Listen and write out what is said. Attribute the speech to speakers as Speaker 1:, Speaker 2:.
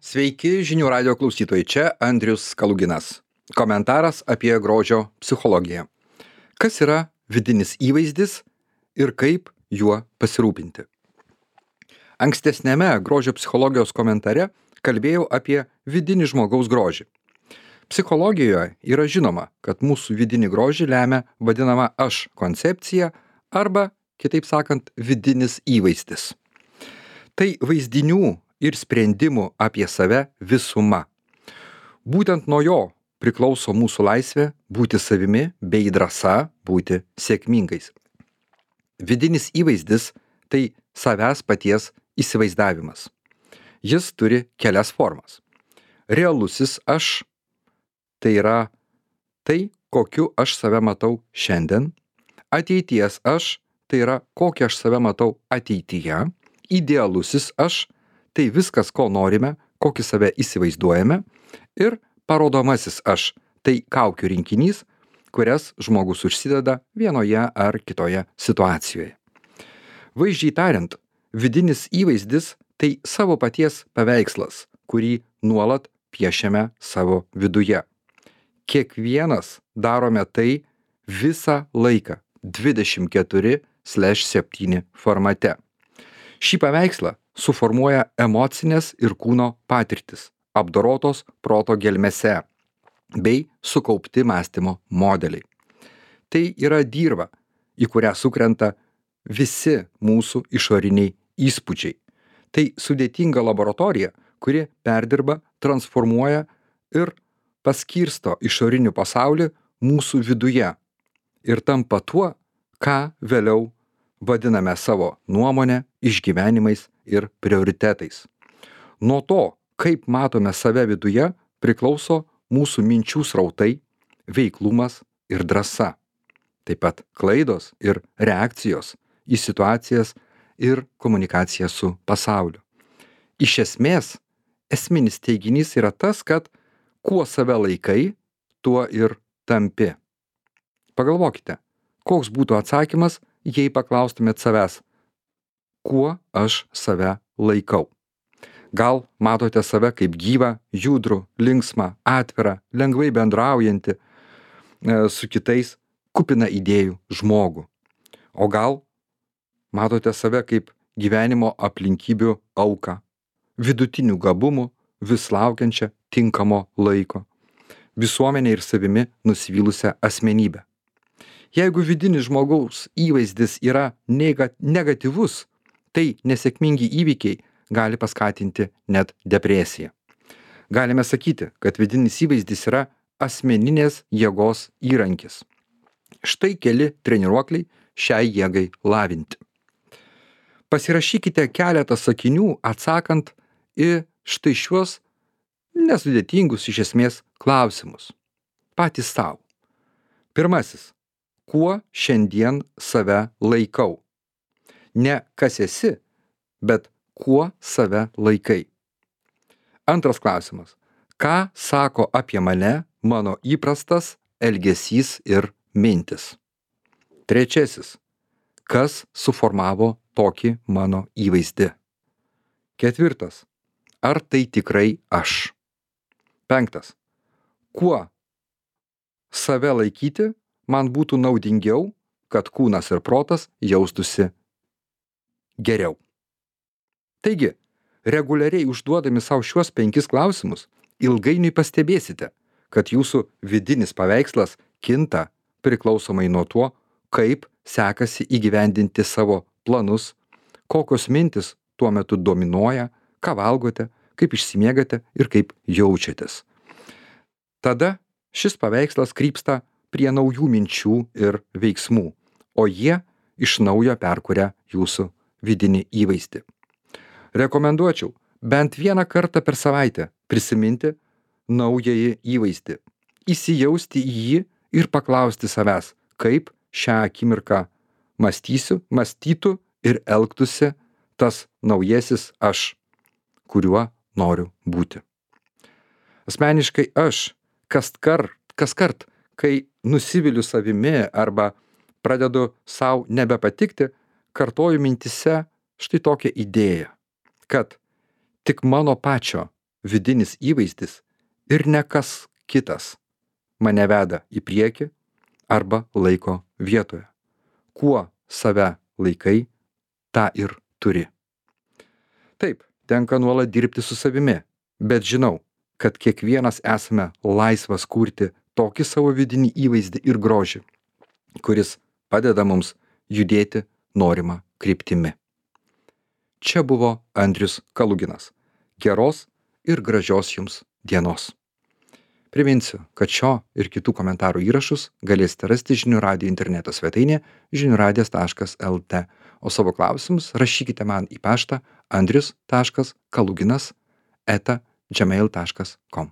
Speaker 1: Sveiki žinių radio klausytojai, čia Andrius Kaluginas. Komentaras apie grožio psichologiją. Kas yra vidinis įvaizdis ir kaip juo pasirūpinti? Ankstesnėme grožio psichologijos komentare kalbėjau apie vidinį žmogaus grožį. Psichologijoje yra žinoma, kad mūsų vidinį grožį lemia vadinama aš koncepcija arba, kitaip sakant, vidinis įvaizdis. Tai vaizdinių ir sprendimų apie save visuma. Būtent nuo jo priklauso mūsų laisvė būti savimi bei drąsa būti sėkmingais. Vidinis įvaizdis – tai savęs paties įsivaizdavimas. Jis turi kelias formas. Realusis aš – tai yra tai, kokiu aš save matau šiandien. Ateities aš – tai yra kokią aš save matau ateityje. Idealusis aš – tai viskas, ko norime, kokį save įsivaizduojame. Ir parodomasis aš – tai kaukių rinkinys, kurias žmogus užsideda vienoje ar kitoje situacijoje. Vaizdžiai tariant, vidinis įvaizdis – tai savo paties paveikslas, kurį nuolat piešiame savo viduje. Kiekvienas darome tai visą laiką 24/7 formate. Šį paveikslą suformuoja emocinės ir kūno patirtis, apdorotos proto gelmėse, bei sukaupti mąstymo modeliai. Tai yra dirva, į kurią sukrenta visi mūsų išoriniai įspūdžiai. Tai sudėtinga laboratorija, kuri perdirba, transformuoja ir paskirsto išorinį pasaulį mūsų viduje ir tampa tuo, ką vėliau vadiname savo nuomonę, išgyvenimais ir prioritetais. Nuo to, kaip matome save viduje, priklauso mūsų minčių srautai, veiklumas ir drąsa. Taip pat klaidos ir reakcijos į situacijas ir komunikacija su pasauliu. Iš esmės, esminis teiginys yra tas, kad kuo save laikai, tuo ir tampi. Pagalvokite, koks būtų atsakymas, jei paklaustumėt savęs, kuo aš save laikau. Gal matote save kaip gyvą, judrų, linksmą, atvirą, lengvai bendraujantį su kitais, kupiną idėjų žmogų. O gal matote save kaip gyvenimo aplinkybių auką, vidutinių gabumų, vis laukiančią tinkamo laiko, visuomenė ir savimi nusivylusią asmenybę. Jeigu vidinis žmogaus įvaizdis yra negatyvus, tai nesėkmingi įvykiai gali paskatinti net depresiją. Galime sakyti, kad vidinis įvaizdis yra asmeninės jėgos įrankis. Štai keli treniruokliai šiai jėgai lavinti. Pasirašykite keletą sakinių atsakant į štai šiuos nesudėtingus iš esmės klausimus. Patys savo. Pirmasis. Kuo šiandien save laikau? Ne kas esi, bet kuo save laikai. Antras klausimas. Ką sako apie mane mano įprastas elgesys ir mintis? Trečiasis. Kas suformavo tokį mano įvaizdį? Ketvirtas. Ar tai tikrai aš? Penktas. Kuo save laikyti man būtų naudingiau, kad kūnas ir protas jaustųsi geriau. Taigi, reguliariai užduodami savo šiuos 5 klausimus, ilgainiui pastebėsite, kad jūsų vidinis paveikslas kinta priklausomai nuo to, kaip sekasi įgyvendinti savo planus, kokios mintis tuo metu dominuoja, ką valgote, kaip išsimiegate ir kaip jaučiatės. Tada šis paveikslas krypsta prie naujų minčių ir veiksmų, o jie iš naujo perkuria jūsų vidinį įvaizdį. Rekomenduočiau bent vieną kartą per savaitę prisiminti naująjį įvaizdį, įsijausti į jį ir paklausti savęs, kaip šią akimirką mąstytų ir elgtųsi tas naujasis aš, kuriuo noriu būti. Asmeniškai aš kaskart, kai nusiviliu savimi arba pradedu sau nebepatikti, kartoju mintyse štai tokią idėją, kad tik mano pačio vidinis įvaizdis ir ne kas kitas mane veda į priekį arba laiko vietoje. Kuo save laikai, tą ir turi. Taip, tenka nuolat dirbti su savimi, bet žinau, kad kiekvienas esame laisvas kurti tokį savo vidinį įvaizdį ir grožį, kuris padeda mums judėti norimą kryptimi. Čia buvo Andrius Kaluginas. Geros ir gražios jums dienos. Priminsiu, kad šio ir kitų komentarų įrašus galėsite rasti žinių radijo interneto svetainėje žiniųradijas.lt, o savo klausimus rašykite man į paštą andrius.kaluginas@gmail.com.